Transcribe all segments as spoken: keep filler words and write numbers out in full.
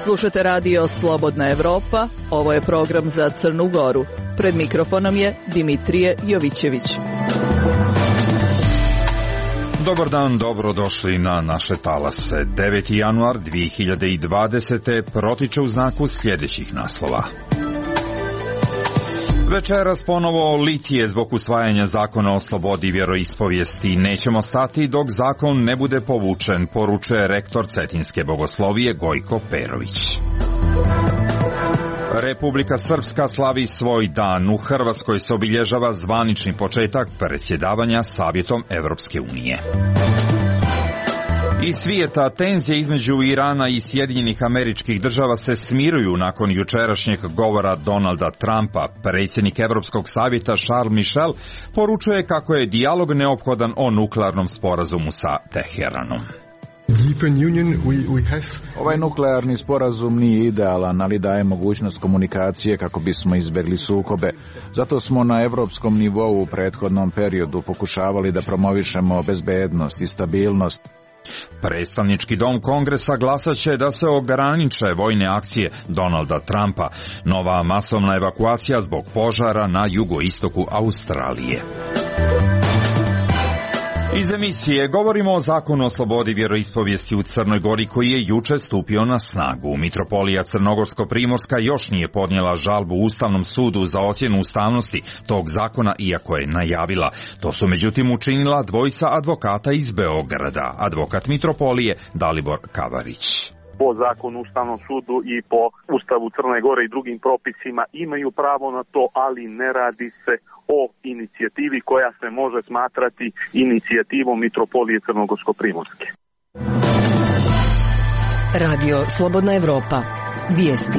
Slušate radio Slobodna Evropa, ovo je program za Crnu Goru. Pred mikrofonom je Dimitrije Jovićević. Dobar dan, dobrodošli na naše talase. deveti januar dvije hiljade dvadesete. protiče u znaku sljedećih naslova. Večeras ponovo litije zbog usvajanja zakona o slobodi vjeroispovijesti. Nećemo stati dok zakon ne bude povučen, poručuje rektor Cetinske bogoslovije Gojko Perović. Republika Srpska slavi svoj dan. U Hrvatskoj se obilježava zvanični početak predsjedavanja Savjetom Evropske unije. Iz svijeta tenzije između Irana i Sjedinjenih Američkih Država se smiruju nakon jučerašnjeg govora Donalda Trumpa. Predsjednik Europskog savjeta Charles Michel poručuje kako je dijalog neophodan o nuklearnom sporazumu sa Teheranom. Ovaj nuklearni sporazum nije idealan, ali daje mogućnost komunikacije kako bismo izbjegli sukobe. Zato smo na europskom nivou u prethodnom periodu pokušavali da promovišemo bezbednost i stabilnost. Predstavnički dom Kongresa glasat će da se ograniče vojne akcije Donalda Trumpa. Nova masovna evakuacija zbog požara na jugoistoku Australije. Iz emisije govorimo o zakonu o slobodi vjeroispovijesti u Crnoj Gori koji je juče stupio na snagu. Mitropolija Crnogorsko-Primorska još nije podnijela žalbu Ustavnom sudu za ocjenu ustavnosti tog zakona, iako je najavila. To su međutim učinila dvojica advokata iz Beograda, advokat Mitropolije Dalibor Kavarić. Po zakonu Ustavnom sudu i po Ustavu Crne Gore i drugim propisima imaju pravo na to, ali ne radi se o inicijativi koja se može smatrati inicijativom Mitropolije Crnogorsko-Primorske. Radio Slobodna Evropa. Vijesti.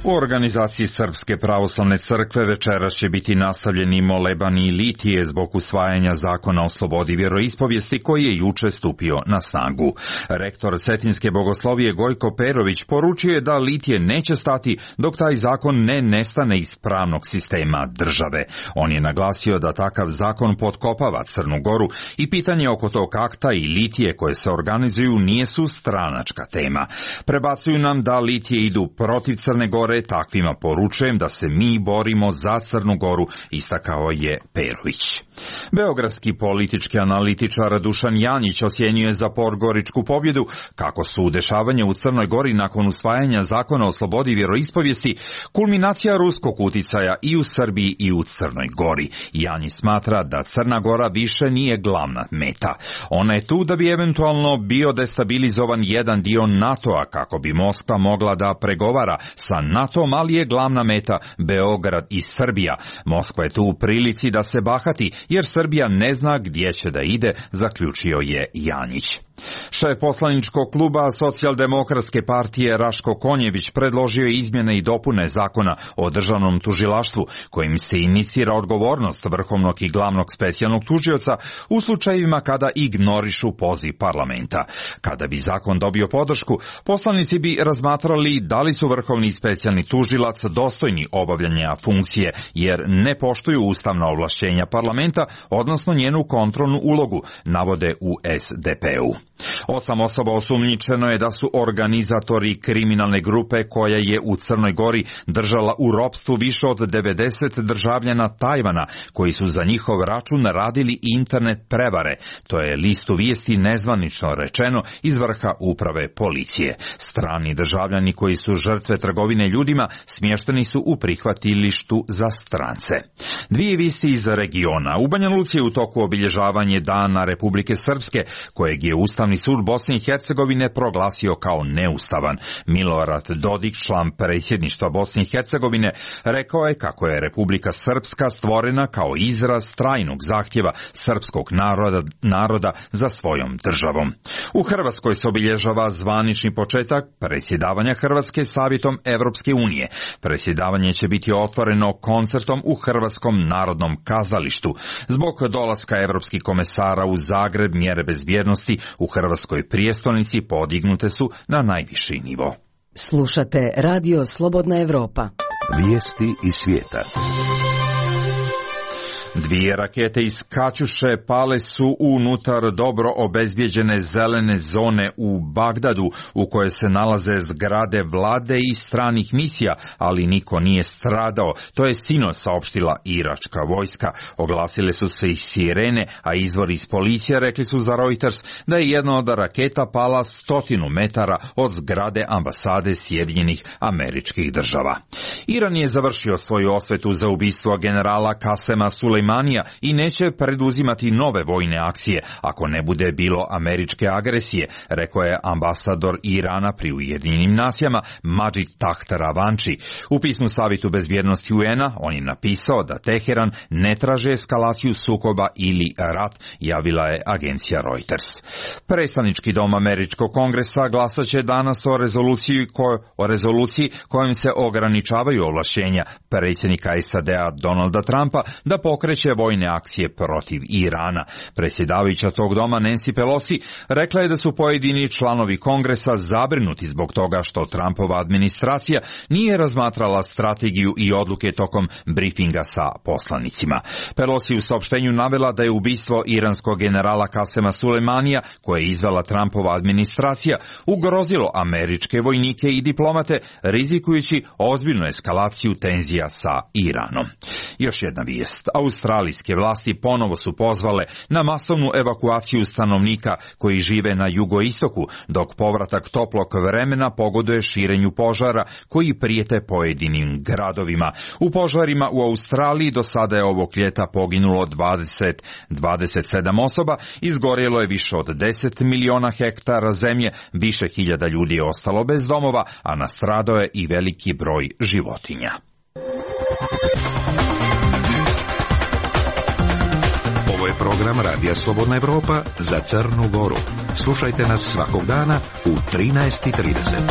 U organizaciji Srpske pravoslavne crkve večeras će biti nastavljeni molebani i litije zbog usvajanja zakona o slobodi vjeroispovijesti koji je juče stupio na snagu. Rektor Cetinske bogoslovije Gojko Perović poručuje da litije neće stati dok taj zakon ne nestane iz pravnog sistema države. On je naglasio da takav zakon potkopava Crnu Goru i pitanje oko tog akta i litije koje se organizuju nije su stranačka tema. Prebacuju nam da litije idu protiv Crne Gore. Takvima poručujem da se mi borimo za Crnu Goru, istakao je Perović. Beogradski politički analitičar Dušan Janjić ocjenjuje za podgoričku pobjedu kako su dešavanja u Crnoj Gori nakon usvajanja zakona o slobodi vjeroispovijesti kulminacija ruskog uticaja i u Srbiji i u Crnoj Gori. Janjić smatra da Crna Gora više nije glavna meta. Ona je tu da bi eventualno bio destabilizovan jedan dio NATO-a kako bi Moskva mogla da pregovara sa NATO-om, ali je glavna meta Beograd i Srbija. Moskva je tu u prilici da se bahati jer Srbija ne zna gdje će da ide, zaključio je Janjić. Šef poslaničkog kluba Socijaldemokratske partije Raško Konjević predložio je izmjene i dopune zakona o državnom tužilaštvu kojim se inicira odgovornost vrhovnog i glavnog specijalnog tužioca u slučajevima kada ignorišu poziv parlamenta. Kada bi zakon dobio podršku, poslanici bi razmatrali da li su vrhovni i specijalni tužilac dostojni obavljanja funkcije jer ne poštuju ustavna ovlašćenja parlamenta, odnosno njenu kontrolnu ulogu, navode u es de pe u. Osam osoba osumnjičeno je da su organizatori kriminalne grupe koja je u Crnoj Gori držala u ropstvu više od devedeset državljana Tajvana koji su za njihov račun radili internet prevare. To je listu vijesti nezvanično rečeno iz vrha uprave policije. Strani državljani koji su žrtve trgovine ljudima smješteni su u prihvatilištu za strance. Dvije vijesti iz regiona. U Banja Luci je u toku obilježavanje Dana Republike Srpske kojeg je Ustavni sud Bosne i Hercegovine proglasio kao neustavan. Milorad Dodik, član predsjedništva Bosne i Hercegovine, rekao je kako je Republika Srpska stvorena kao izraz trajnog zahtjeva srpskog naroda, naroda za svojom državom. U Hrvatskoj se obilježava zvanični početak predsjedavanja Hrvatske Savjetom Evropske unije. Predsjedavanje će biti otvoreno koncertom u Hrvatskom narodnom kazalištu. Zbog dolaska evropskih komesara u Zagreb mjere bezbjednosti u Hrvatskoj prijestolnici podignute su na najviši nivo. Slušate Radio Slobodna Evropa. Vijesti iz svijeta. Dvije rakete iz Kaćuše pale su unutar dobro obezbijeđene zelene zone u Bagdadu, u kojoj se nalaze zgrade vlade i stranih misija, ali niko nije stradao. To je sinoć saopštila iračka vojska. Oglasile su se i sirene, a izvori iz policije rekli su za Reuters da je jedna od raketa pala stotinu metara od zgrade ambasade Sjedinjenih Američkih Država. Iran je završio svoju osvetu za ubistvo generala Kasema Sulejmanija i neće preduzimati nove vojne akcije ako ne bude bilo američke agresije, rekao je ambasador Irana pri Ujedinjenim nacijama Majid Takht Ravanchi. U pismu Savetu bezbjednosti U N-a on je napisao da Teheran ne traže eskalaciju sukoba ili rat, javila je agencija Reuters. Predstavnički dom Američkog kongresa glasat će danas o rezoluciji, ko, o rezoluciji kojom se ograničavaju ovlašćenja predsjednika S A D-a Donalda Trumpa da pokreće vojne akcije protiv Irana. Predsjedavajuća tog doma Nancy Pelosi rekla je da su pojedini članovi kongresa zabrinuti zbog toga što Trumpova administracija nije razmatrala strategiju i odluke tokom briefinga sa poslanicima. Pelosi u saopštenju navela da je ubistvo iranskog generala Kasema Sulejmanija, koje je izvela Trumpova administracija, ugrozilo američke vojnike i diplomate, rizikujući ozbiljnu eskalaciju tenzija sa Iranom. Još jedna vijest. Australijske vlasti ponovo su pozvale na masovnu evakuaciju stanovnika koji žive na jugoistoku, dok povratak toplog vremena pogoduje širenju požara koji prijete pojedinim gradovima. U požarima u Australiji do sada je ovog ljeta poginulo dvadeset do dvadeset sedam osoba, izgorjelo je više od deset miliona hektara zemlje, više hiljada ljudi je ostalo bez domova, a nastradao je i veliki broj životinja. Ovo je program Radija Slobodna Evropa za Crnu Goru. Slušajte nas svakog dana u trinaest i trideset.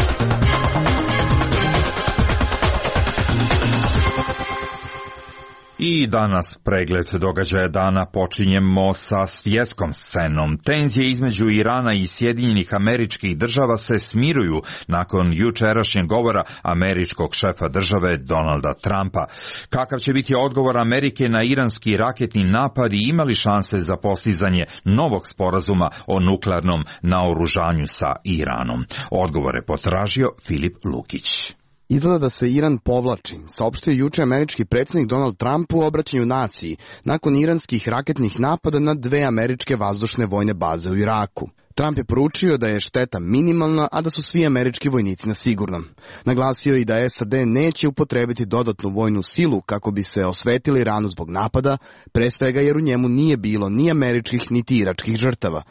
I danas pregled događaja dana počinjemo sa svjetskom scenom. Tenzije između Irana i Sjedinjenih Američkih Država se smiruju nakon jučerašnjeg govora američkog šefa države Donalda Trumpa. Kakav će biti odgovor Amerike na iranski raketni napad i imali šanse za postizanje novog sporazuma o nuklearnom naoružanju sa Iranom? Odgovor je potražio Filip Lukić. Izgleda da se Iran povlači, saopštio juče američki predsjednik Donald Trump u obraćanju naciji nakon iranskih raketnih napada na dve američke vazdušne vojne baze u Iraku. Trump je poručio da je šteta minimalna, a da su svi američki vojnici na sigurnom. Naglasio i da S A D neće upotrebiti dodatnu vojnu silu kako bi se osvetili Iranu zbog napada, pre svega jer u njemu nije bilo ni američkih niti iračkih žrtava.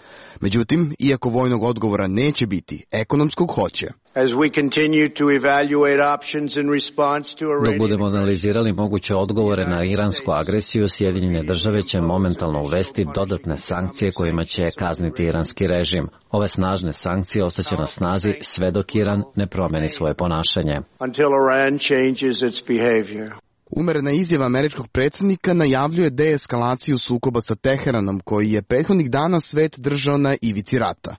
Međutim, iako vojnog odgovora neće biti, ekonomskog hoće. Dok budemo analizirali moguće odgovore na iransku agresiju, Sjedinjene države će momentalno uvesti dodatne sankcije kojima će kazniti iranski režim. Ove snažne sankcije ostaće na snazi sve dok Iran ne promeni svoje ponašanje. Umerena izjava američkog predsjednika najavljuje deeskalaciju sukoba sa Teheranom, koji je prethodnih dana svet držao na ivici rata.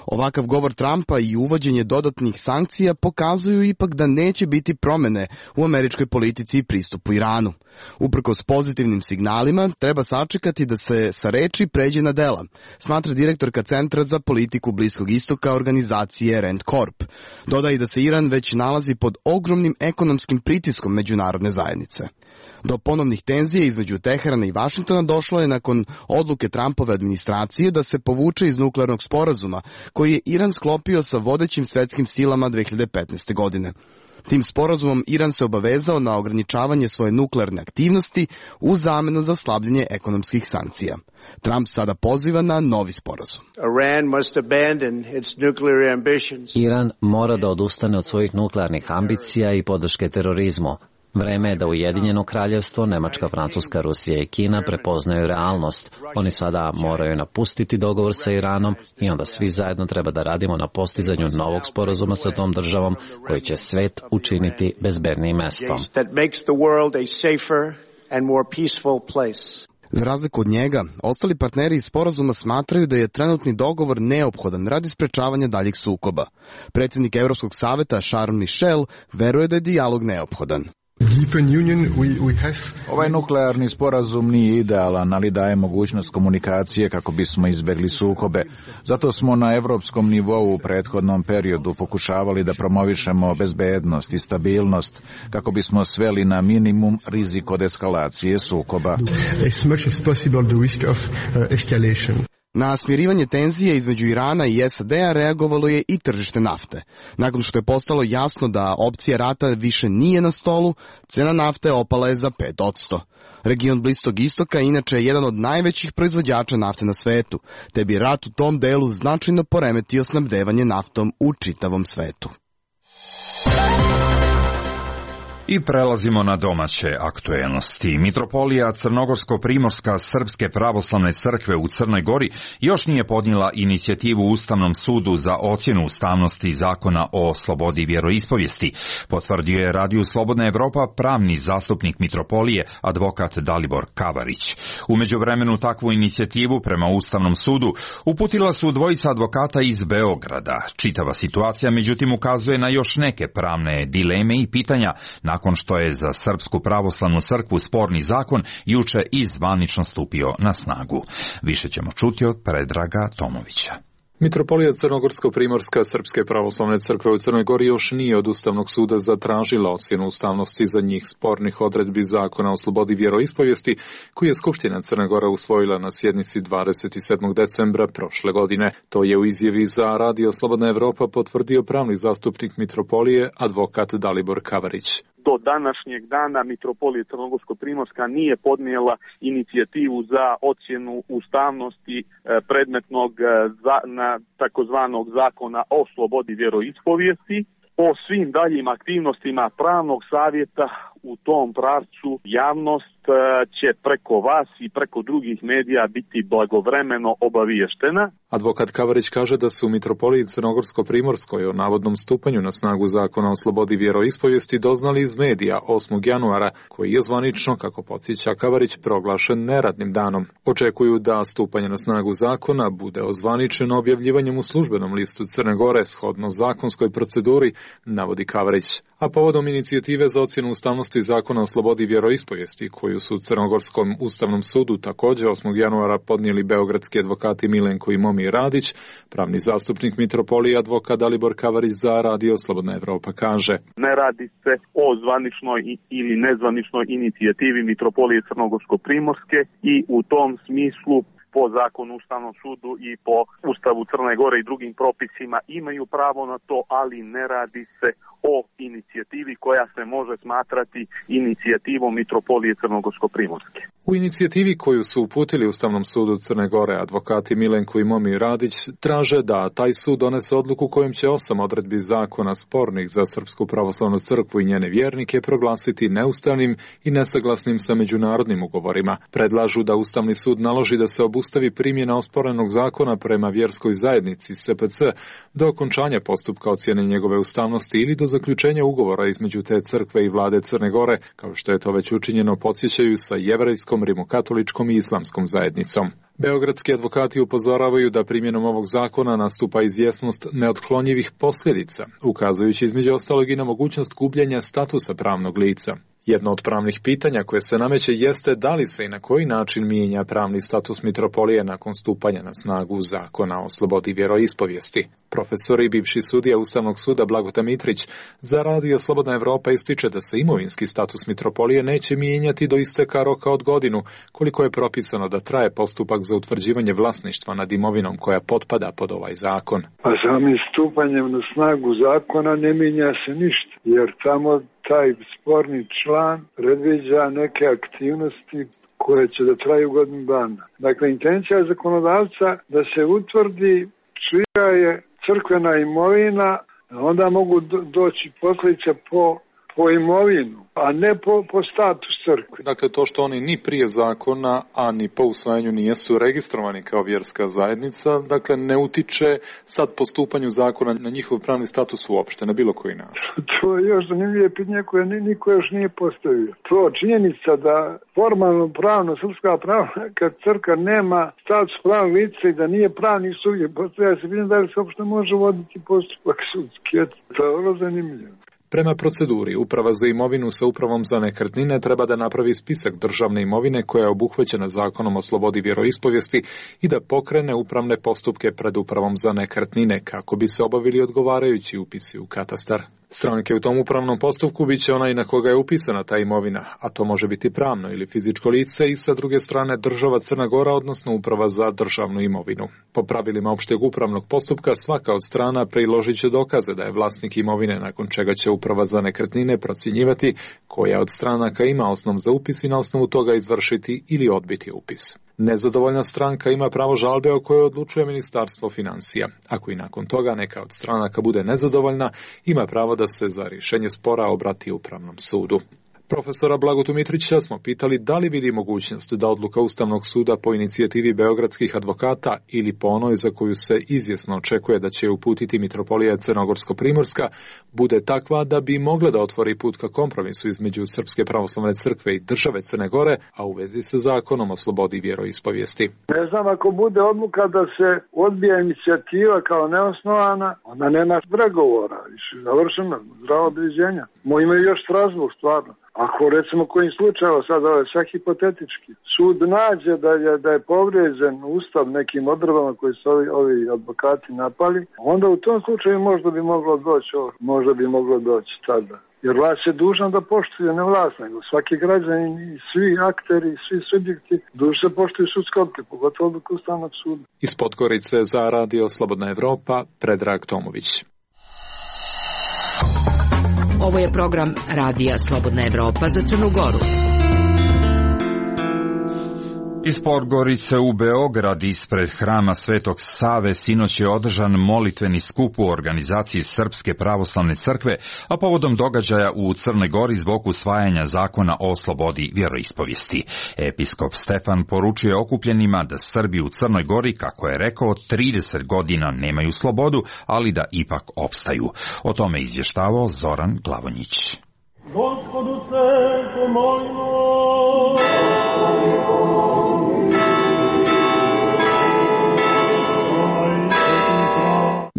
Ovakav govor Trumpa i uvođenje dodatnih sankcija pokazuju ipak da neće biti promjene u američkoj politici i pristupu Iranu. Uprkos pozitivnim signalima, treba sačekati da se sa reči pređe na dela, smatra direktorka Centra za politiku Bliskog istoka organizacije Rand Corp. Dodaje da se Iran već nalazi pod ogromnim ekonomskim pritiskom međunarodne zajednice. Do ponovnih tenzija između Teherana i Vašingtona došlo je nakon odluke Trumpove administracije da se povuče iz nuklearnog sporazuma koji je Iran sklopio sa vodećim svetskim silama dve hiljade petnaeste. godine. Tim sporazumom Iran se obavezao na ograničavanje svoje nuklearne aktivnosti u zamenu za slabljenje ekonomskih sankcija. Trump sada poziva na novi sporazum. Iran mora da odustane od svojih nuklearnih ambicija i podrške terorizmu. Vreme je da Ujedinjeno kraljevstvo, Nemačka, Francuska, Rusija i Kina prepoznaju realnost. Oni sada moraju napustiti dogovor sa Iranom i onda svi zajedno treba da radimo na postizanju novog sporazuma sa tom državom koji će svet učiniti bezbednijim mestom. Za razliku od njega, ostali partneri iz sporazuma smatraju da je trenutni dogovor neophodan radi sprečavanja daljih sukoba. Predsjednik Evropskog saveta Charles Michel veruje da je dijalog neophodan. Ovaj nuklearni sporazum nije idealan, ali daje mogućnost komunikacije kako bismo izbegli sukobe. Zato smo na evropskom nivou u prethodnom periodu pokušavali da promovišemo bezbednost i stabilnost kako bismo sveli na minimum rizik od eskalacije sukoba. Na smirivanje tenzije između Irana i S A D-a reagovalo je i tržište nafte. Nakon što je postalo jasno da opcija rata više nije na stolu, cena nafte opala je za pet posto. Region Bliskog istoka inače je jedan od najvećih proizvođača nafte na svetu, te bi rat u tom delu značajno poremetio snabdevanje naftom u čitavom svetu. I prelazimo na domaće aktuelnosti. Mitropolija Crnogorsko-Primorska Srpske pravoslavne crkve u Crnoj Gori još nije podnijela inicijativu Ustavnom sudu za ocjenu ustavnosti zakona o slobodi vjeroispovijesti, potvrdio je Radiju Slobodna Evropa pravni zastupnik Mitropolije, advokat Dalibor Kavarić. U međuvremenu takvu inicijativu prema Ustavnom sudu uputila su dvojica advokata iz Beograda. Čitava situacija međutim ukazuje na još neke pravne dileme i pitanja na nakon što je za Srpsku pravoslavnu crkvu sporni zakon juče i zvanično stupio na snagu. Više ćemo čuti od Predraga Tomovića. Mitropolija Crnogorsko-Primorska Srpske pravoslavne crkve u Crnoj Gori još nije od Ustavnog suda zatražila ocjenu ustavnosti za njih spornih odredbi zakona o slobodi vjeroispovijesti, koji je Skupština Crne Gore usvojila na sjednici dvadeset sedmog decembra prošle godine. To je u izjavi za Radio Slobodna Evropa potvrdio pravni zastupnik Mitropolije, advokat Dalibor Kavarić. Do današnjeg dana Mitropolija Crnogorsko-Primorska nije podnijela inicijativu za ocjenu ustavnosti predmetnog za, na takozvanog zakona o slobodi vjeroispovijesti. O svim daljim aktivnostima pravnog savjeta u tom pravcu javnost će preko vas i preko drugih medija biti blagovremeno obaviještena. Advokat Kavarić kaže da su u Mitropoliji Crnogorsko-Primorskoj o navodnom stupanju na snagu zakona o slobodi vjeroispovijesti doznali iz medija osmog januara, koji je zvanično, kako podsjeća Kavarić, proglašen neradnim danom. Očekuju da stupanje na snagu zakona bude ozvaničeno objavljivanjem u službenom listu Crne Gore shodno zakonskoj proceduri, navodi Kavarić. A povodom inicijative za ocjenu ustavnosti zakona o slobodi vjeroispovijesti, koju su u Crnogorskom ustavnom sudu također osmog januara podnijeli beogradski advokati Milenko i Momir Radić, pravni zastupnik Mitropolije, advokat Dalibor Kavarić za Radio Slobodna Evropa kaže: Ne radi se o zvaničnoj ili nezvaničnoj inicijativi Mitropolije Crnogorsko-Primorske i u tom smislu po zakonu Ustavnom sudu i po Ustavu Crne Gore i drugim propisima imaju pravo na to, ali ne radi se o inicijativi koja se može smatrati inicijativom Mitropolije Crnogorsko-Primorske. U inicijativi koju su uputili Ustavnom sudu Crne Gore advokati Milenko i Momir Radić traže da taj sud donese odluku kojom će osam odredbi zakona spornih za Srpsku pravoslavnu crkvu i njene vjernike proglasiti neustavnim i nesaglasnim sa međunarodnim ugovorima. Predlažu da Ustavni sud naloži da se obustavi primjena osporenog zakona prema vjerskoj zajednici S P C do okončanja postupka ocjene njegove ustavnosti ili do zaključenja ugovora između te crkve i vlade Crne Gore, kao što je to već učinjeno, podsjećaju, sa jevrejskom, rimokatoličkom i islamskom zajednicom. Beogradski advokati upozoravaju da primjenom ovog zakona nastupa izvjesnost neotklonjivih posljedica, ukazujući između ostalog i na mogućnost gubljenja statusa pravnog lica. Jedno od pravnih pitanja koje se nameće jeste da li se i na koji način mijenja pravni status Mitropolije nakon stupanja na snagu zakona o slobodi vjeroispovijesti. Profesor i bivši sudija Ustavnog suda Blagota Mitrić za Radio Slobodna Evropa ističe da se imovinski status Mitropolije neće mijenjati do isteka roka od godinu, koliko je propisano da traje postupak za utvrđivanje vlasništva nad imovinom koja potpada pod ovaj zakon. A samim stupanjem na snagu zakona ne mijenja se ništa, jer tamo taj sporni član predviđa neke aktivnosti koje će da traju godinu dana. Dakle, intencija zakonodavca da se utvrdi čija je crkvena imovina, onda mogu doći posljedice po, po imovinu, a ne po, po status crkve. Dakle, to što oni ni prije zakona, a ni po usvajanju nijesu registrovani kao vjerska zajednica, dakle, ne utiče sad po stupanju zakona na njihov pravni status uopšte, na bilo koji način. To je još zanimljivo pitanje koje niko još nije postavio. To činjenica da formalno pravno, srpska pravna, kad crkva nema status pravnog lica i da nije pravni subjekt, postavlja se pitanje da li se uopšte može voditi postupak sudski. To je vrlo zanimljivo. Prema proceduri, Uprava za imovinu sa Upravom za nekretnine treba da napravi spisak državne imovine koja je obuhvaćena Zakonom o slobodi vjeroispovijesti i da pokrene upravne postupke pred Upravom za nekretnine kako bi se obavili odgovarajući upisi u katastar. Stranke u tom upravnom postupku bit će onaj na koga je upisana ta imovina, a to može biti pravno ili fizičko lice i sa druge strane država Crna Gora, odnosno Uprava za državnu imovinu. Po pravilima opšteg upravnog postupka svaka od strana priložit će dokaze da je vlasnik imovine, nakon čega će Uprava za nekretnine procjenjivati koja od stranaka ima osnov za upis i na osnovu toga izvršiti ili odbiti upis. Nezadovoljna stranka ima pravo žalbe o kojoj odlučuje Ministarstvo financija. Ako i nakon toga neka od stranaka bude nezadovoljna, ima pravo da se za rješenje spora obrati Upravnom sudu. Profesora Blagotu Mitrića smo pitali da li vidi mogućnost da odluka Ustavnog suda po inicijativi beogradskih advokata ili po onoj za koju se izvjesno očekuje da će uputiti Mitropolija Crnogorsko-Primorska bude takva da bi mogla da otvori put ka kompromisu između Srpske pravoslavne crkve i države Crne Gore, a u vezi sa Zakonom o slobodi vjeroispovijesti. Ne znam, ako bude odluka da se odbija inicijativa kao neosnovana, onda nema pregovora, više završeno, zdravo određenja. Mo imaju još Strasburg, stvarno. Ako recimo kojim slučajeva, sad ovo je sve hipotetički, sud nađe da je, da je povrijeđen ustav nekim odredbama koji su ovi, ovi advokati napali, onda u tom slučaju možda bi moglo doći, možda bi moglo doći tada. Jer vlast je dužna da poštuje, ne vlast, nego svaki građanin i svi akteri, svi subjekti dužni se poštuju sudske odluke, pogotovo odluke Ustavnog suda. Iz Podgorice za Radio Slobodna Evropa, Predrag Tomović. Ovo je program Radija Slobodna Evropa za Crnu Goru. Iz Podgorice u Beograd ispred hrama Svetog Save sinoć je održan molitveni skup u organizaciji Srpske pravoslavne crkve, a povodom događaja u Crnoj Gori zbog usvajanja zakona o slobodi vjeroispovijesti. Episkop Stefan poručuje okupljenima da Srbi u Crnoj Gori, kako je rekao, trideset godina nemaju slobodu, ali da ipak opstaju. O tome izvještavao Zoran Glavonjić. Gospodu se pomolimo.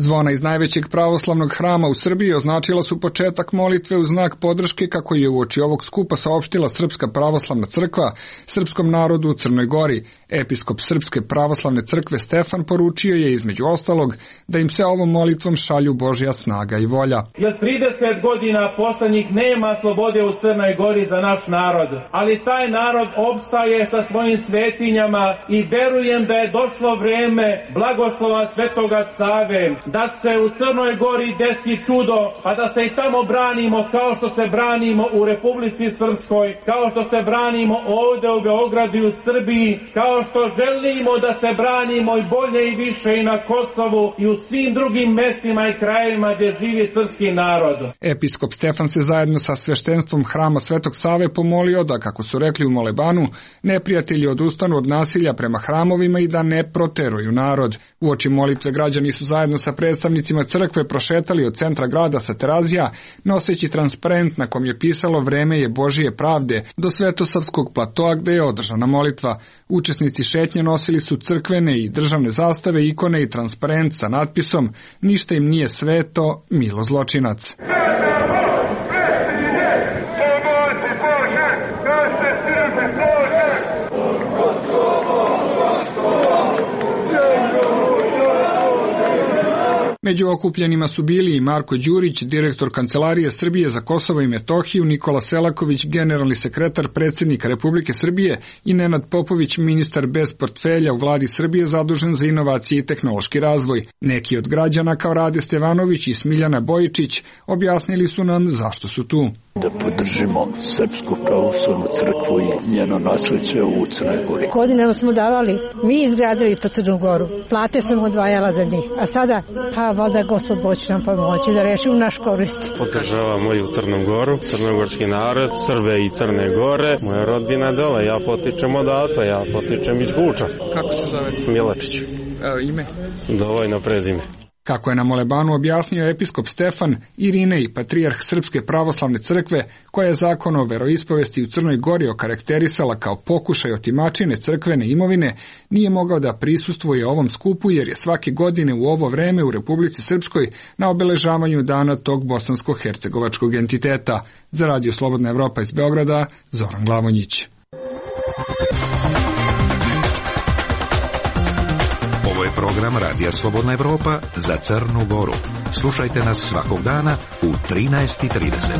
Zvona iz najvećeg pravoslavnog hrama u Srbiji označila su početak molitve u znak podrške kako je uoči ovog skupa saopštila Srpska pravoslavna crkva srpskom narodu u Crnoj Gori. Episkop Srpske pravoslavne crkve Stefan poručio je između ostalog da im se ovom molitvom šalju Božja snaga i volja. Jer trideset godina poslednjih nema slobode u Crnoj Gori za naš narod, ali taj narod opstaje sa svojim svetinjama i verujem da je došlo vreme blagoslova Svetoga Save, da se u Crnoj Gori desi čudo, pa da se i tamo branimo kao što se branimo u Republici Srpskoj, kao što se branimo ovde u Beogradu i u Srbiji, kao što želimo da se branimo i bolje i više i na Kosovu i u svim drugim mestima i krajevima gdje živi srpski narod. Episkop Stefan se zajedno sa sveštenstvom hrama Svetog Save pomolio da, kako su rekli u molebanu, neprijatelji odustanu od nasilja prema hramovima i da ne proteruju narod. Uoči molitve građani su zajedno sa predstavnicima crkve prošetali od centra grada sa Terazija, noseći transparent na kom je pisalo "Vreme je Božije pravde" do Svetosavskog platoa gde je održana molitva. Učesnici šetnje nosili su crkvene i državne zastave, ikone i transparent sa natpisom "Ništa im nije sveto, milo zločinac". Među okupljenima su bili i Marko Đurić, direktor Kancelarije Srbije za Kosovo i Metohiju, Nikola Selaković, generalni sekretar predsjednika Republike Srbije i Nenad Popović, ministar bez portfelja u vladi Srbije zadužen za inovacije i tehnološki razvoj. Neki od građana kao Rade Stevanović i Smiljana Bojičić objasnili su nam zašto su tu. Da podržimo Srpsku pravoslavnu crkvu i njeno nasleđe u Crnoj Gori. Godinama smo davali, mi izgradili to Crnu Goru, plate sam odvajala za njih, a sada, ha, valjda Gospod Bog će nam pomoći da rešimo naš korist. Podržavamo i u Crnu Goru, crnogorski narod, Srbe i Crne Gore, moja rodbina dole, ja potičem odatle, ja potičem iz Guča. Kako se zovete? Milačić. E, ime? Dovojno prezime. Kako je na molebanu objasnio episkop Stefan Irinej, patrijarh Srpske pravoslavne crkve, koja je zakon o veroispovesti u Crnoj Gori okarakterisala kao pokušaj otimačine crkvene imovine, nije mogao da prisustvuje ovom skupu jer je svake godine u ovo vreme u Republici Srpskoj na obeležavanju dana tog bosansko-hercegovačkog entiteta. Za Radio Slobodna Evropa iz Beograda, Zoran Glavonjić. Ovo je program Radija Slobodna Evropa za Crnu Goru. Slušajte nas svakog dana u trinaest i trideset.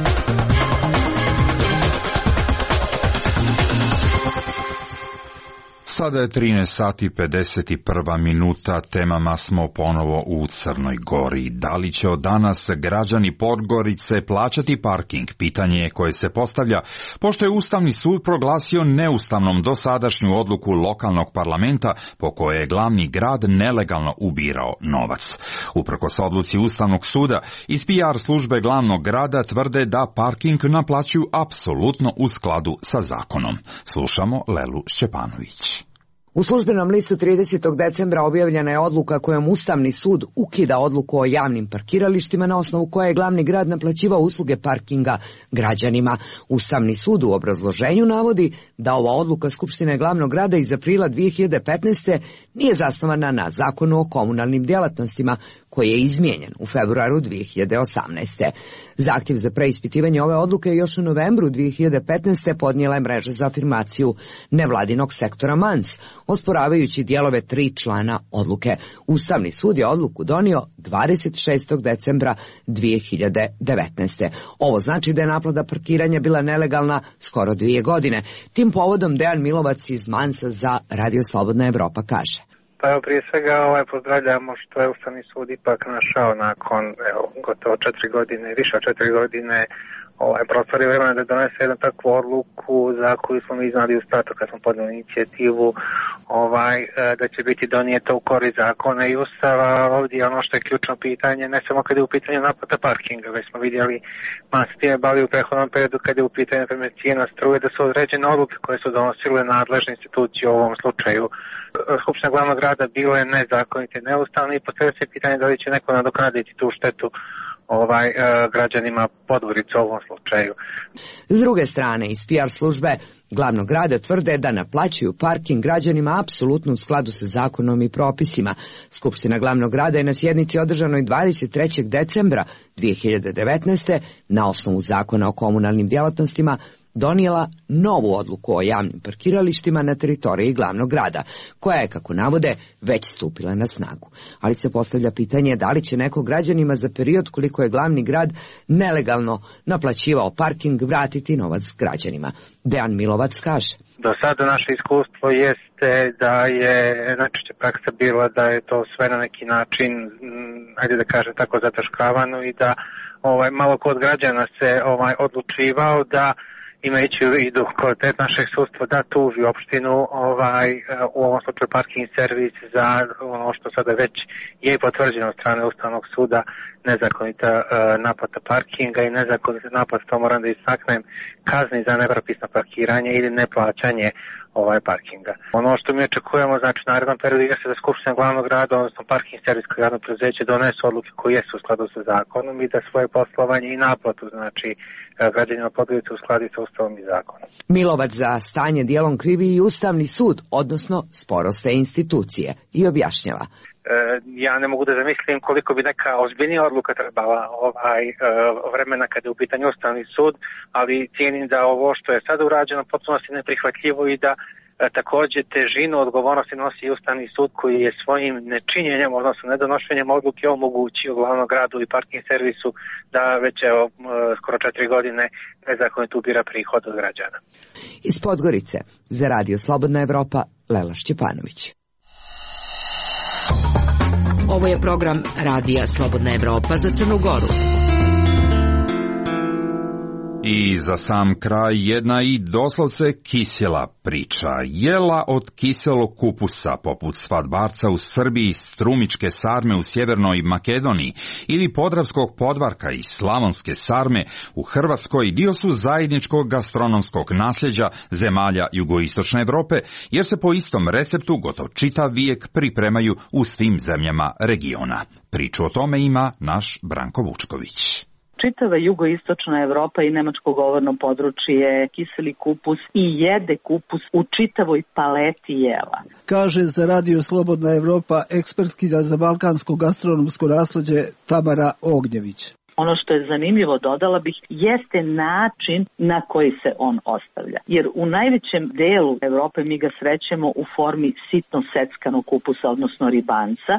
Sada je trinaest sati pedeset prva minuta, temama smo ponovo u Crnoj Gori. Da li će od danas građani Podgorice plaćati parking? Pitanje je koje se postavlja, pošto je Ustavni sud proglasio neustavnom dosadašnju odluku lokalnog parlamenta po kojoj je glavni grad nelegalno ubirao novac. Uprkos odluci Ustavnog suda, iz P R službe glavnog grada tvrde da parking naplaćuju apsolutno u skladu sa zakonom. Slušamo Lelu Šćepanović. U službenom listu tridesetog decembra objavljena je odluka kojom Ustavni sud ukida odluku o javnim parkiralištima na osnovu koje je glavni grad naplaćivao usluge parkinga građanima. Ustavni sud u obrazloženju navodi da ova odluka Skupštine glavnog grada iz aprila dve hiljade petnaeste. nije zasnovana na zakonu o komunalnim djelatnostima koji je izmijenjen u februaru dve hiljade osamnaeste. Zahtjev za preispitivanje ove odluke još u novembru dve hiljade petnaeste. podnijela je mreža za afirmaciju nevladinog sektora Mans, osporavajući dijelove tri člana odluke. Ustavni sud je odluku donio dvadeset šestog decembra dve hiljade devetnaeste. Ovo znači da je naplata parkiranja bila nelegalna skoro dvije godine. Tim povodom Dejan Milovac iz Mansa za Radio Slobodna Evropa kaže. Pa evo, prije svega ovaj, pozdravljamo što je Ustavni sud ipak našao nakon evo, gotovo četiri godine, više od četiri godine, ovaj, prostor je vremena da donese jednu takvu odluku za koju smo mi znali u startu kad smo podnijeli inicijativu ovaj, da će biti donijeta u korist zakona i Ustava. Ovdje ono što je ključno pitanje, ne samo kad je u pitanju naplata parkinga, već smo vidjeli mas time bali u prethodnom periodu kad je u pitanju primjer cijena struje, da su određene odluke koje su donosile nadležne institucije u ovom slučaju Skupština glavnog grada bile nezakonite i neustavne i postavlja se pitanje da li će neko nadoknaditi tu štetu ovaj e, građanima Podgorice u ovom slučaju. S druge strane, iz P R službe glavnog grada tvrde da naplaćuju parking građanima apsolutno u skladu sa zakonom i propisima. Skupština glavnog grada je na sjednici održanoj dvadeset trećeg decembra dve hiljade devetnaeste. na osnovu zakona o komunalnim djelatnostima donijela novu odluku o javnim parkiralištima na teritoriji glavnog grada, koja je, kako navode, već stupila na snagu. Ali se postavlja pitanje da li će neko građanima za period koliko je glavni grad nelegalno naplaćivao parking vratiti novac građanima. Dejan Milovac kaže. Do sada naše iskustvo jeste da je najčešće praksa bila da je to sve na neki način, ajde da kažem tako, zataškavano i da ovaj, malo kod građana se ovaj, odlučivao da imajući u vidu kvalitet našeg sudstva da tuži opštinu ovaj, u ovom slučaju parking servis za ono što sada već je potvrđeno od strane Ustavnog suda nezakonita uh, naplata parkinga i nezakonita naplata, to moram da istaknem, kazni za nepropisno parkiranje ili neplaćanje ovaj parkinga. Ono što mi očekujemo, znači u narednom periodu je se da Skupština glavnog grada, odnosno parking servis kao javno preduzeće donesu odluke koje jesu u skladu sa zakonom i da svoje poslovanje i naplatu, znači građanima Podgorice uskladi sa Ustavom i zakonom. Milovac za stanje dijelom krivi i Ustavni sud, odnosno sporoste institucije, i objašnjava. Ja ne mogu da zamislim koliko bi neka ozbiljnija odluka trebala ovaj vremena kada je u pitanju Ustavni sud, ali cijenim da ovo što je sada urađeno potpuno je neprihvatljivo i da također težinu odgovornosti nosi i Ustavni sud koji je svojim nečinjenjem, odnosno nedonošenjem odluke omogućio glavnom gradu i parking servisu da već evo, skoro četiri godine nezakonito ubira prihod od građana. Iz Podgorice za Radio Slobodna Evropa, Lela Šćepanović. Ovo je program Radija Slobodna Evropa za Crnu Goru. I za sam kraj jedna i doslovce kisela priča. Jela od kiselog kupusa poput svadbarca u Srbiji, strumičke sarme u Sjevernoj Makedoniji ili podravskog podvarka i slavonske sarme u Hrvatskoj dio su zajedničkog gastronomskog nasljeđa zemalja jugoistočne Evrope, jer se po istom receptu gotovo čitav vijek pripremaju u svim zemljama regiona. Priču o tome ima naš Branko Vučković. Čitava jugoistočna Evropa i nemačko govorno područje kiseli kupus i jede kupus u čitavoj paleti jela. Kaže za Radio Slobodna Evropa ekspertkinja za balkansko gastronomsko nasleđe Tamara Ognjević. Ono što je zanimljivo, dodala bih, jeste način na koji se on ostavlja. Jer u najvećem delu Evrope mi ga srećemo u formi sitno seckanog kupusa, odnosno ribanca,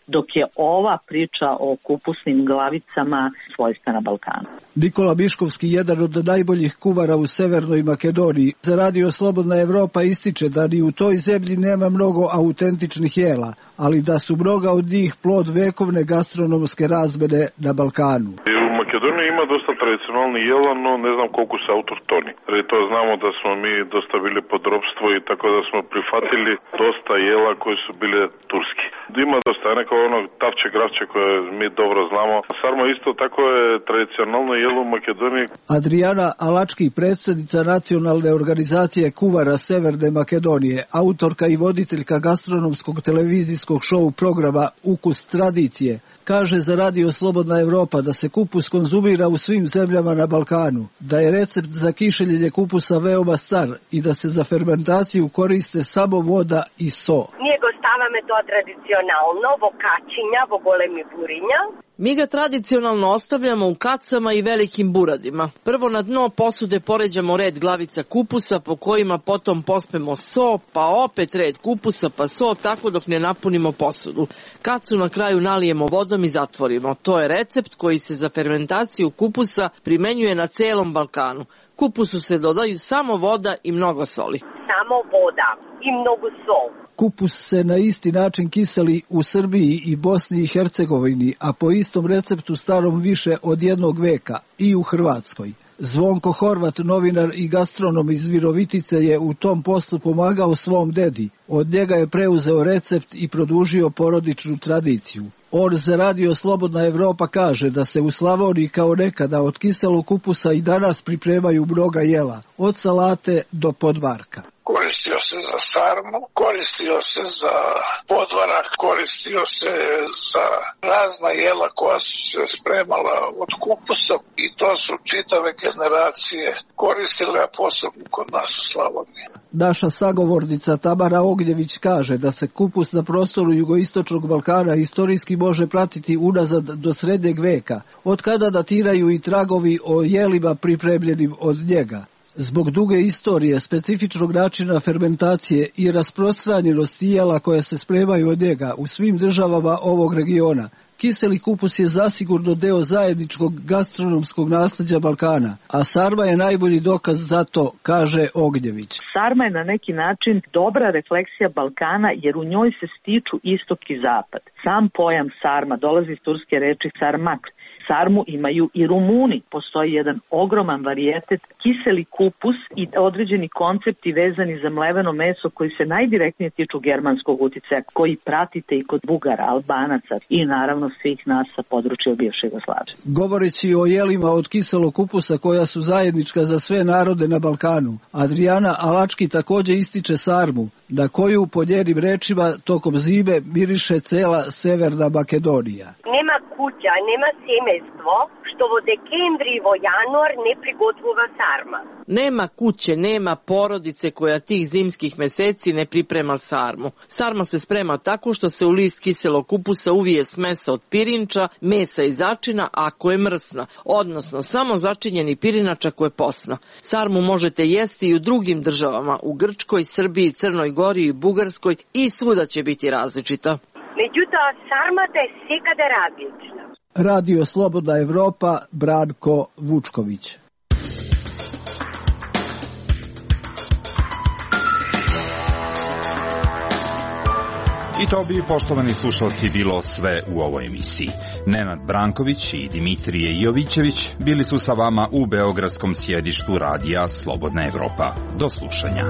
dok je ova priča o kupusnim glavicama svojstvena Balkanu. Nikola Miškovski, jedan od najboljih kuvara u Severnoj Makedoniji, za Radio Slobodna Evropa ističe da ni u toj zemlji nema mnogo autentičnih jela, ali da su mnoga od njih plod vekovne gastronomske razmene na Balkanu. U Makedoniji ima dosta tradicionalnih jela, no ne znam koliko su autohtoni. Jer to znamo da smo mi dosta bili pod ropstvo i tako da smo prihvatili dosta jela koji su bile turski. Ima dosta neko ono tavče, gravče koje mi dobro znamo. Sarma isto tako je tradicionalno jelo u Makedoniji. Adriana Alački, predsjednica nacionalne organizacije kuvara Severne Makedonije, autorka i voditeljka gastronomskog televizijskog šou programa Ukus tradicije, kaže za Radio Slobodna Evropa da se kupus konzumira u svim zemljama na Balkanu, da je recept za kišeljenje kupusa veoma star i da se za fermentaciju koriste samo voda i so. Njego stavame to tradicionalno, vo kačinja, vo golemi burinja. Mi ga tradicionalno ostavljamo u kacama i velikim buradima. Prvo na dno posude poređamo red glavica kupusa po kojima potom pospemo so, pa opet red kupusa, pa so, tako dok ne napunimo posudu. Kacu na kraju nalijemo vodom i zatvorimo. To je recept koji se za fermentaciju kupusa primenjuje na celom Balkanu. Kupusu se dodaju samo voda i mnogo soli. Samo voda i mnogo sol. Kupus se na isti način kiseli u Srbiji i Bosni i Hercegovini, a po istom receptu starom više od jednog veka i u Hrvatskoj. Zvonko Horvat, novinar i gastronom iz Virovitice, je u tom poslu pomagao svom dedi. Od njega je preuzeo recept i produžio porodičnu tradiciju. On za Radio Slobodna Evropa kaže da se u Slavoniji kao nekada od kiselog kupusa i danas pripremaju mnoga jela, od salate do podvarka. Koristio se za sarmu, koristio se za podvarak, koristio se za razna jela koja su se spremala od kupusa i to su čitave generacije koristile, a posebno kod nas u Slavoniji. Naša sagovornica Tamara Ognjević kaže da se kupus na prostoru jugoistočnog Balkana istorijski može pratiti unazad do srednjeg veka, od kada datiraju i tragovi o jelima pripremljenim od njega. Zbog duge istorije, specifičnog načina fermentacije i rasprostranjenosti jela koje se spremaju od njega u svim državama ovog regiona, kiseli kupus je zasigurno deo zajedničkog gastronomskog nasljeđa Balkana, a sarma je najbolji dokaz za to, kaže Ognjević. Sarma je na neki način dobra refleksija Balkana jer u njoj se stiču istok i zapad. Sam pojam sarma dolazi iz turske reči sarmak. Sarmu imaju i Rumuni. Postoji jedan ogroman varijetet kiseli kupus i određeni koncepti vezani za mleveno meso koji se najdirektnije tiču germanskog uticaja, koji pratite i kod Bugara, Albanaca i naravno svih nas sa područja bivše Jugoslavije. Govoreći o jelima od kiselog kupusa koja su zajednička za sve narode na Balkanu, Adriana Alački također ističe sarmu, na koju po njenim rečima tokom zime miriše cela Severna Makedonija. Nema kuća, nema semejstvo, što vo dekembri i vo januar ne prigotvova sarma. Nema kuće, nema porodice koja tih zimskih meseci ne priprema sarmu. Sarma se sprema tako što se u list kiselog kupusa uvije smesa od pirinča, mesa i začina ako je mrsna, odnosno samo začinjeni pirinač ako je posna. Sarmu možete jesti i u drugim državama, u Grčkoj, Srbiji, Crnoj Gori i Bugarskoj i svuda će biti različita. Međutim, sarmata je svekada različna. Radio Slobodna Evropa, Branko Vučković. I to bi, poštovani slušalci, bilo sve u ovoj emisiji. Nenad Branković i Dimitrije Jovićević bili su sa vama u beogradskom sjedištu radija Slobodna Evropa. Do slušanja.